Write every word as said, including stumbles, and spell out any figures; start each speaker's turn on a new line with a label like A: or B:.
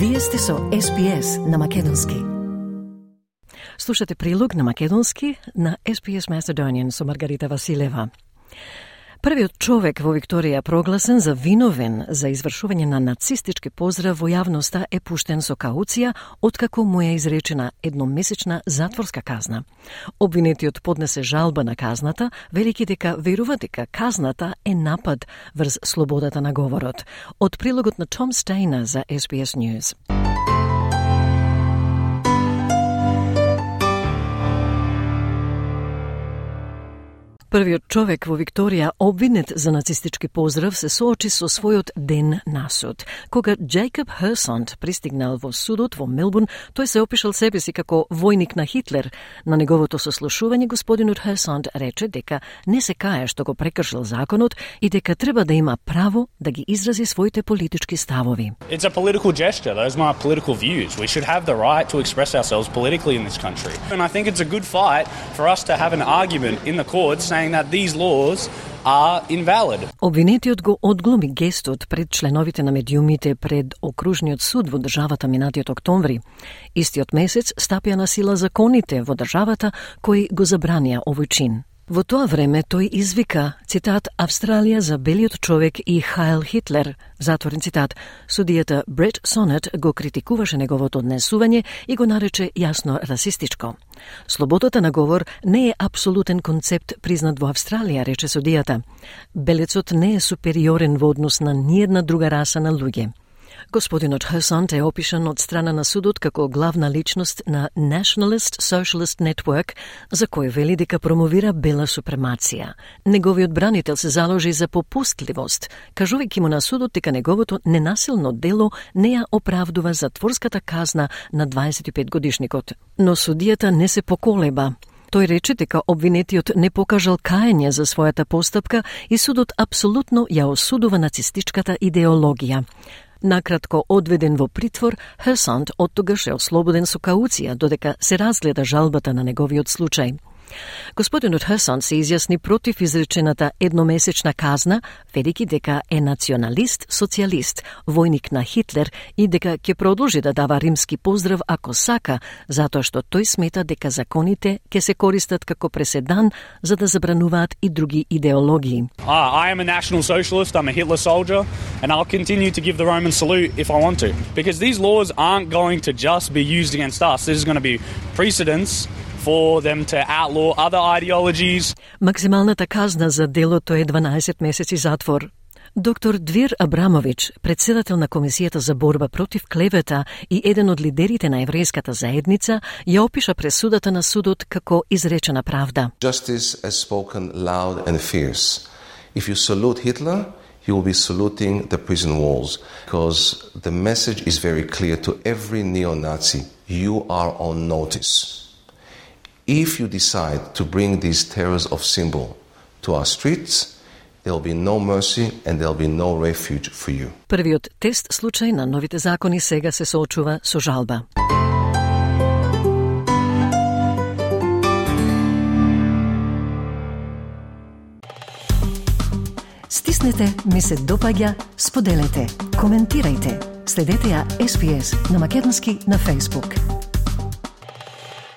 A: Вие сте со Ес Би Ес на Македонски. Слушате прилог на Македонски на Ес Би Ес Macedonian со Маргарита Василева. Првиот човек во Викторија прогласен за виновен за извршување на нацистички поздрав во јавноста е пуштен со кауција, откако му е изречена едномесечна затворска казна. Обвинетиот поднесе жалба на казната, велики дека верува дека казната е напад врз слободата на говорот. Од прилогот на Том Стейнер за Ес Би Ес News. Првиот човек во Викторија обвинет за нацистички поздрав се соочи со својот ден на суд. Кога Джейкоб Херсонд пристигнал во судот во Мелбурн, тој се опишал себе си како војник на Хитлер. На неговото сослушување господинот Херсонд рече дека не се кае што го прекршил законот и дека треба да има право да ги изрази своите политички ставови.
B: It's a political gesture. Those are my political views. We should have the right to express ourselves politically in this country. And I think it's a good fight for us to have an argument in the court saying that these laws are invalid.
A: Обвинетиот го одглуми гестот пред членовите на медиумите пред окружниот суд во државата минатиот октомври. Истиот месец стапија на сила законите во државата кои го забранија овој чин. Во тоа време тој извика, цитат, Австралија за белиот човек и Хайл Хитлер, затворен цитат. Судијата Брет Сонет го критикуваше неговото однесување и го нарече јасно расистичко. Слободата на говор не е апсолутен концепт признат во Австралија, рече судијата. Белецот не е супериорен во однос на ниедна друга раса на луѓе. Господинот Херсонд е опишан од страна на судот како главна личност на Nationalist Socialist Network, за кој вели дека промовира бела супремација. Неговиот бранител се заложи за попустливост, кажувајќи му на судот дека неговото ненасилно дело не ја оправдува затворската казна на дваесет и пет годишникот. Но судијата не се поколеба. Тој рече дека обвинетиот не покажал каење за својата постапка и судот апсолутно ја осудува нацистичката идеологија. Накратко одведен во притвор, Херсонд оттогаш е ослободен со кауција, додека се разгледа жалбата на неговиот случај. Господинот Херсонд се изјасни против изречената едномесечна казна, велики дека е националист, социјалист, војник на Хитлер и дека ќе продолжи да дава римски поздрав ако сака, затоа што тој смета дека законите ќе се користат како преседан за да забрануваат и други идеологии.
B: Ah, I am a national socialist, I'm a Hitler soldier, and I'll continue to give the Roman salute if I want to. Because these laws aren't going to just be used against us. This is going to be precedents for them to outlaw other ideologies.
A: Максималната казна за делото е дванаесет месеци затвор. Доктор Двир Абрамович, председател на Комисијата за борба против клевета и еден од лидерите на еврејската заедница, ја опиша пресудата на судот како изречена правда.
C: Justice has spoken loud and fierce. If you salute Hitler, you will be saluting the prison walls, because the message is very clear to every neo-Nazi. You are on notice. If you decide to bring these terrors of symbol to our streets, there will be no mercy and there will be no refuge for you.
A: Првиот тест случај на новите закони сега се соочува со жалба. Стиснете, ми се допаѓа, споделете, коментирајте. Следете ја Ес Би Ес на Македонски на Facebook.